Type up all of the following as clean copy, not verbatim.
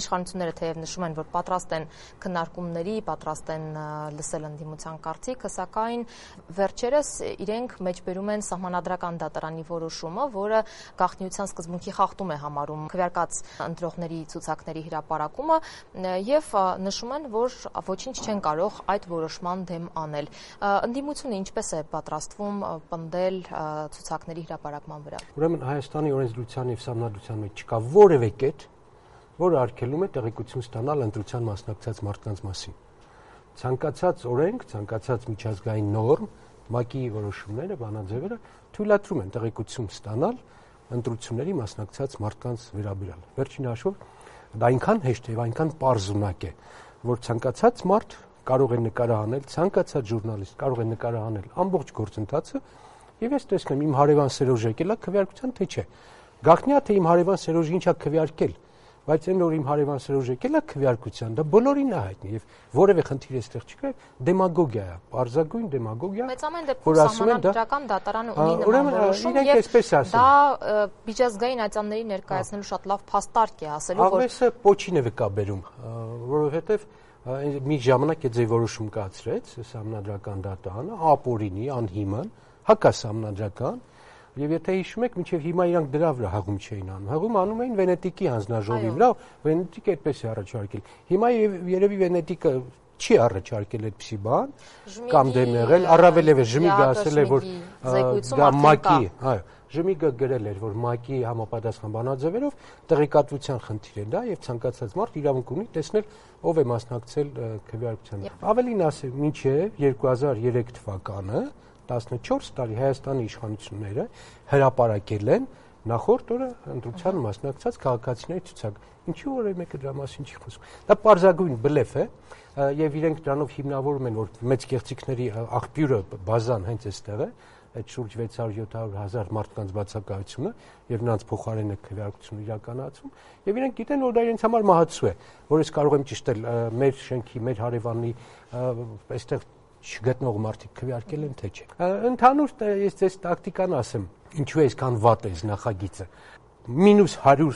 Իշխանությունները թեև նշում են, որ պատրաստ են քննարկումների, պատրաստ են լսել ընդդիմության կարծիքը, սակայն վերջերս իրենք մեջբերում են սահմանադրական դատարանի որոշումը, որը գաղտնիության սկզբունքի խախտում է համարում քվեարկած ընտրողների ցուցակների հրապարակումը եւ նշում են, որ ոչինչ չեն կարող այդ որոշման դեմ անել։ Ընդդիմությունը ինչպես է պատրաստվում պնդել ցուցակների հրապարակման վրա։ Ուրեմն Հայաստանի օրենսդրության եւ սահմանադրության մեջ չկա որևէ կետ, որը արգելում է տեղեկություն ստանալ ընտրության մասնակցած մարդկանց մասին։ Ցանկացած օրենք, ցանկացած միջազգային նորմ, ՄԱԿ-ի որոշումները, բանաձևերը թույլատրում են տեղեկություն ստանալ ընտրությունների մասնակցած մարդկանց վերաբերյալ։ Վերջին հաշվով դա այնքան հեշտ է եւ այնքան պարզունակ է, որ ցանկացած մարդ կարող է նկարահանել, ցանկացած ժուրնալիստ կարող է նկարահանել ամբողջ գործընթացը եւ ես տեսնեմ իմ հարևան Սերոժ եկել է քվեարկության թե չէ։ Գաղտնիա թե իմ հարևան Սերոժը ինչա քվեարկել, բայց այն որ իմ հարևան Սերոժը եկել է քվեարկության, դա բոլորին է հայտնի եւ որևէ խնդիր էստեղ չկա, դեմագոգիա է, պարզագույն դեմագոգիա։ Բայց ամեն դեպքում սահմանադրական դատարանը ունի նման որոշում եւ դա միջազգային ատյանների ներկայացնելու շատ լավ փաստարկ է ասելու, որ Աղվեսը պոչին է վկաբերում, որովհետեւ մի ժամանակ է ձեր որոշում կացրեց սահմանադրական դատարանը, ապօրինի, անհիմն, հակասահմանադրական եւ եթե հիշում եք, մինչեւ հիմա իրանք դրա վրա հաղում չէին անում։ Հաղում անում էին Վենետիկի հանձնաժողովի վրա, Վենետիկը այդպես է առաջարկել։ Հիմա երևի Վենետիկը չի առաջարկել այդպիսի բան կամ դեմ եղել, առավելևս Ժմիգը ասել է, որ դա ՄԱԿ-ի, այո, Ժմիգը գրել էր, որ ՄԱԿ-ի համապատասխան բանաձևերով տեղեկատվության խնդիր է դա եւ ցանկացած մարդ իրավունք ունի տեսնել ով է մասնակցել քվեարկությանը։ Ավելին ասեմ, մինչեւ 2003 թվականը 14 տարի Հայաստանի իշխանությունները հրապարակել են նախորդ օրը ընտրության մասնակցած քաղաքացիների ցուցակ։ Ինչու որևէ մեկը դրա մասին չի խոսում։ Դա պարզագույն բլեֆ է եւ իրենք դրանով հիմնավորում են, որ մեծ գեղեցիկների աղբյուրը բազան հենց այստեղ է, այդ շուրջ 600-700 հազար մարդկանց բացակայությունը եւ նրանց փոխարենը քվեարկություն իրականացում եւ իրենք գիտեն, որ դա իրենց համար մահացու է, որ ես կարող եմ ճշտել մեր շենքի, մեր հարևանի այստեղ չգտնող մարդիկ քվեարկել են թե չէ։ Ընդհանուր ես ձեզ տակտիկան ասեմ, ինչու է այսքան վատ է նախագիծը։ -100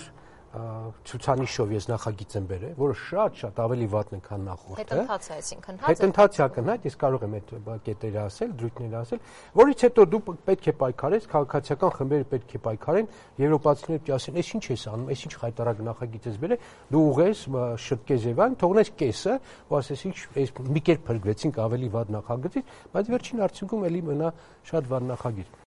ցուցանիշով ես նախագիծ եմ բերել, որը շատ ավելի վատն է, քան նախորդը։ Հետընթաց է, այսինքն հետընթաց է ակնհայտ, ես կարող եմ այդ կետերը ասել, դրույթները ասել, որից հետո դու պետք է պայքարես, քաղաքացիական խմբերը պետք է պայքարեն, եվրոպացիները պետք է ասեն, «Էս ինչ ես անում, էս ինչ խայտարակ նախագիծ ես բերել», դու ուղես, շտկես եւ այն, թողնես կեսը, ու ասես, ինչ էս մի կերպ փրկվեցինք ավելի վատ նախագծից, բայց վերջին արդյունքում էլի մնա շատ վատ նախագիծ։